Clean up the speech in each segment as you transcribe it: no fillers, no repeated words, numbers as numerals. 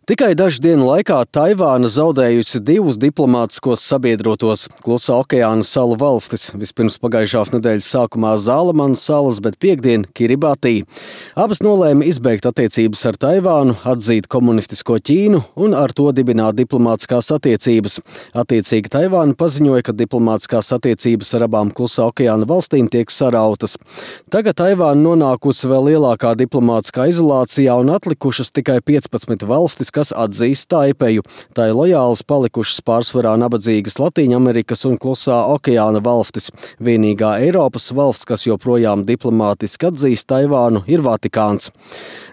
Tikai dažu dienu laikā Taivāna zaudējusi divus diplomātiskos sabiedrotos – Klusā okeāna salu valstis. Vispirms pagājušās nedēļas sākumā Zālamanu salas, bet piektdien Kiribati. Abas nolēma izbeigt attiecības ar Taivānu, atzīt komunistisko Ķīnu un ar to dibināt diplomātiskās attiecības. Attiecīgi Taivāna paziņoja, ka diplomātiskās attiecības ar abām Klusā okeāna valstīm tiek sarautas. Tagad Taivāna nonākusi vēl lielākā diplomātiskā izolācijā un atlikušas tikai 15 valstis, kas atzīst Taipeju. Tā ir lojālas palikušas pārsvarā nabadzīgas Latīņamerikas un Klusā okeāna valstis. Vienīgā Eiropas valsts, kas joprojām diplomātiski atzīst Taivānu, ir Vatikāns.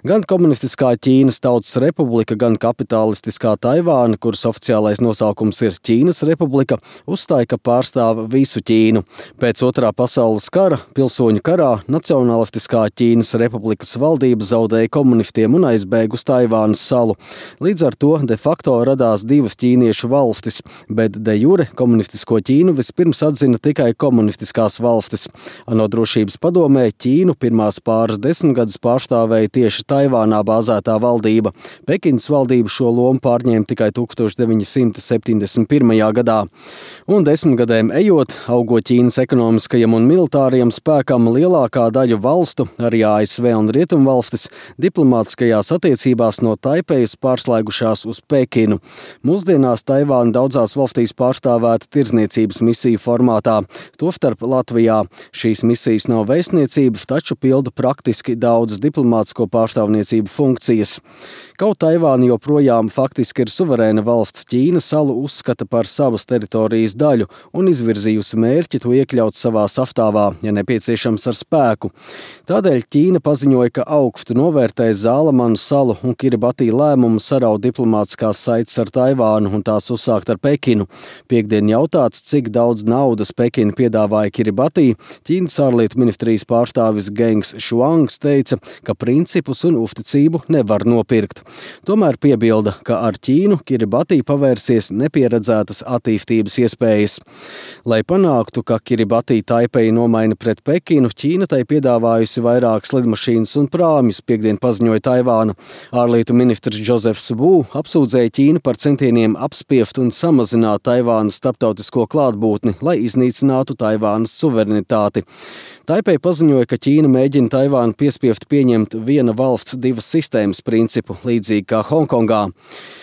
Gan komunistiskā Ķīnas Tautas Republika, gan kapitalistiskā Taivāna, kuras oficiālais nosaukums ir Ķīnas Republika, uzstāja, ka pārstāv visu Ķīnu. Pēc Otrā pasaules kara, pilsoņu karā, Nacionalistiskā Ķīnas Republikas valdība zaudēja komunistiem un aizbēga uz Taivānas salu. Līdz ar to de facto radās divas ķīniešu valstis, bet de jure komunistisko Ķīnu vispirms atzina tikai komunistiskās valstis. ANO drošības padomē Ķīnu pirmās pāris desmitgadus pārstāvēja tieši Taivānā bāzētā valdība. Pekinas valdība šo lomu pārņēma tikai 1971. gadā. Un 10 gadiem ejot, augot Ķīnas ekonomiskajam un militārajam spēkam, lielākā daļa valstu, arī ASV un Rietumvalstis, diplomātiskajās attiecībās no Taipejas pārslēgušās uz Pekinu. Mūsdienās Taivāna daudzās valstīs pārstāvēta tirdzniecības misiju formātā, tostarp Latvijā. Šīs misijas nav vēstniecības, taču pilda praktiski daudzas diplomātisko pārstāvniecību funkcijas. Kaut Taivāna joprojām faktiski ir suverēna valsts, Ķīna salu uzskata par savas teritorijas daļu un izvirzījusi mērķi to iekļaut savā sastāvā, ja nepieciešams ar spēku. Tādēļ Ķīna paziņoja, ka augstu novērtēs Zālamanu salu un Kiribati lēmumu saraut diplomātiskās saites ar Taivānu un tās uzsākt ar Pekinu. Piektdien jautāts, cik daudz naudas Pekina piedāvāja Kiribati, Ķīnas ārlietu ministrijas pārstāvis Gengs Šuangs teica, ka principus un uzticību nevar nopirkt. Tomēr piebilda, ka ar Ķīnu Kiribati pavērsies nepieredzētas attīstības iespējas. Lai panāktu, ka Kiribati Taipeju nomaina pret Pekinu, Ķīna tai piedāvājusi vairākas lidmašīnas un prāmjus, piektdien paziņoja Taivāna. Ārlietu ministrs Džozefs Vu apsūdzēja Ķīnu par centieniem apspiest un samazināt Taivānas starptautisko klātbūtni, lai iznīcinātu Taivānas suverenitāti. Taipei paziņoja, ka Ķīna mēģina Taivānu piespiest pieņemt viena valsts divas sistēmas principu, līdzīgi kā Honkongā.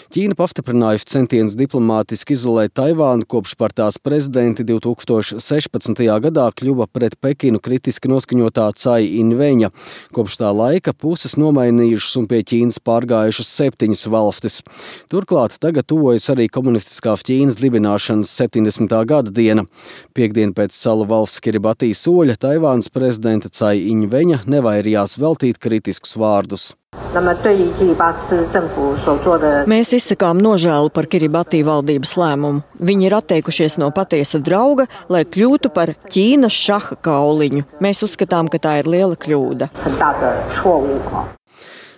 Ķīna pastiprinājusi centienus diplomātiski izolēt Taivānu, kopš par tās prezidenti 2016. gadā kļuva pret Pekinu kritiski noskaņotā Cai Inveņa. Kopš tā laika puses nomainījušas un pie Ķīnas pārgājušas 7 valstis. Turklāt tagad tuvojas arī komunistiskās Ķīnas dibināšanas 70. gada diena. Piektdien pēc salu valsts Kiribati soļa Taivānas prezidenta Cai Inveņa nevairījās veltīt kritiskus vārdus. Mēs izsakām nožēlu par Kiribati valdības lēmumu. Viņi ir atteikušies no patiesa drauga, lai kļūtu par Ķīnas šaha kauliņu. Mēs uzskatām, ka tā ir liela kļūda.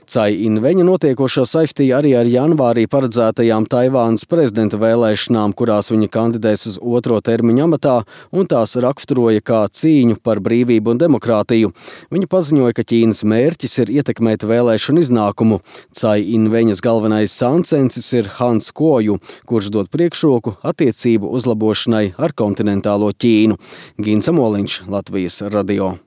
Cai Inveņa notiekošo saistīja arī ar janvārī paredzētajām Taivānas prezidenta vēlēšanām, kurās viņa kandidēs uz 2. termiņa amatā un tās raksturoja kā cīņu par brīvību un demokrātiju. Viņa paziņoja, ka Ķīnas mērķis ir ietekmēt vēlēšanu iznākumu. Cai Inveņas galvenais sāncensis ir Hans Kuoju, kurš dod priekšroku attiecību uzlabošanai ar kontinentālo Ķīnu. Gins Amoliņš, Latvijas radio.